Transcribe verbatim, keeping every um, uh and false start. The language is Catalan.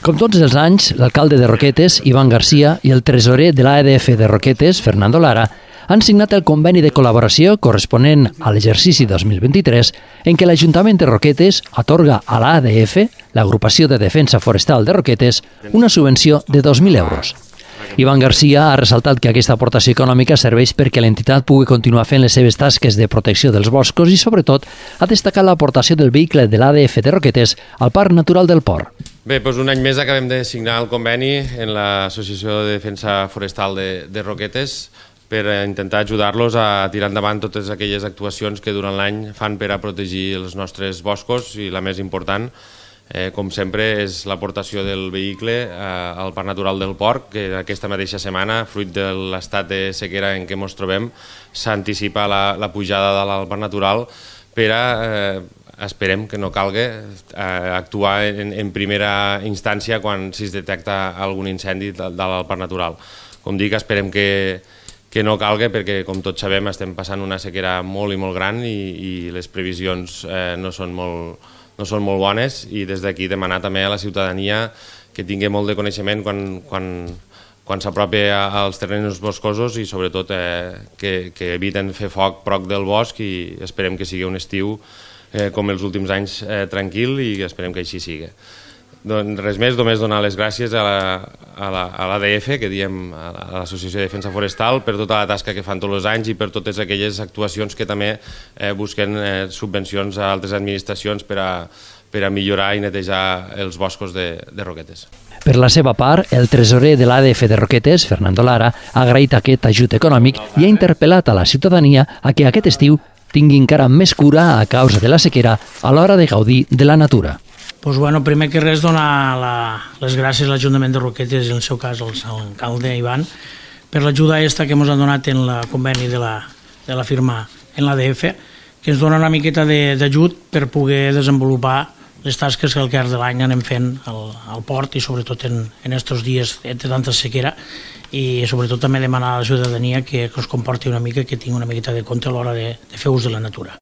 Com tots els anys, l'alcalde de Roquetes, Ivan Garcia, i el tresorer de l'A D F de Roquetes, Fernando Lara, han signat el conveni de col·laboració corresponent a l'exercici dos mil vint-i-tres en què l'Ajuntament de Roquetes atorga a l'A D F, l'Agrupació de Defensa Forestal de Roquetes, una subvenció de dos mil euros. Ivan Garcia ha ressaltat que aquesta aportació econòmica serveix perquè l'entitat pugui continuar fent les seves tasques de protecció dels boscos i, sobretot, ha destacat l'aportació del vehicle de l'A D F de Roquetes al Parc Natural del Port. Bé, doncs un any més acabem de signar el conveni en l'Associació de Defensa Forestal de, de Roquetes per intentar ajudar-los a tirar endavant totes aquelles actuacions que durant l'any fan per a protegir els nostres boscos i la més important, Eh, com sempre, és l'aportació del vehicle eh, al Parc Natural del Port, que aquesta mateixa setmana, fruit de l'estat de sequera en què ens trobem, s'anticipa la, la pujada de al Parc Natural per a, eh, esperem que no calgui, eh, actuar en, en primera instància quan si es detecta algun incendi de, de al Parc Natural. Com dic, esperem que, que no calgui perquè, com tots sabem, estem passant una sequera molt i molt gran i, i les previsions eh, no són molt no són molt bones i des d'aquí demanar també a la ciutadania que tingui molt de coneixement quan, quan, quan s'apropi als terrenys boscosos i sobretot eh, que, que eviten fer foc prop del bosc i esperem que sigui un estiu eh, com els últims anys eh, tranquil i esperem que així sigui. Doncs res més, només donar les gràcies a l'A D F, que diem a l'Associació de Defensa Forestal, per tota la tasca que fan tots els anys i per totes aquelles actuacions que també eh, busquen eh, subvencions a altres administracions per a, per a millorar i netejar els boscos de, de Roquetes. Per la seva part, el tresorer de l'A D F de Roquetes, Fernando Lara, ha agraït aquest ajut econòmic i ha interpel·lat a la ciutadania a que aquest estiu tingui encara més cura a causa de la sequera a l'hora de gaudir de la natura. Pues bueno, primer que res, donar la, les gràcies a l'Ajuntament de Roquetes, i en el seu cas al alcalde Ivan, per l'ajuda aquesta que ens ha donat en el conveni de la, de la firma en l'A D F, que ens dona una miqueta d'ajut per poder desenvolupar les tasques que al llarg de l'any anem fent al, al port i sobretot en, en estos dies de tanta sequera i sobretot també demanar a la ciutadania que, que es comporti una mica, que tingui una miqueta de compte a l'hora de, de fer ús de la natura.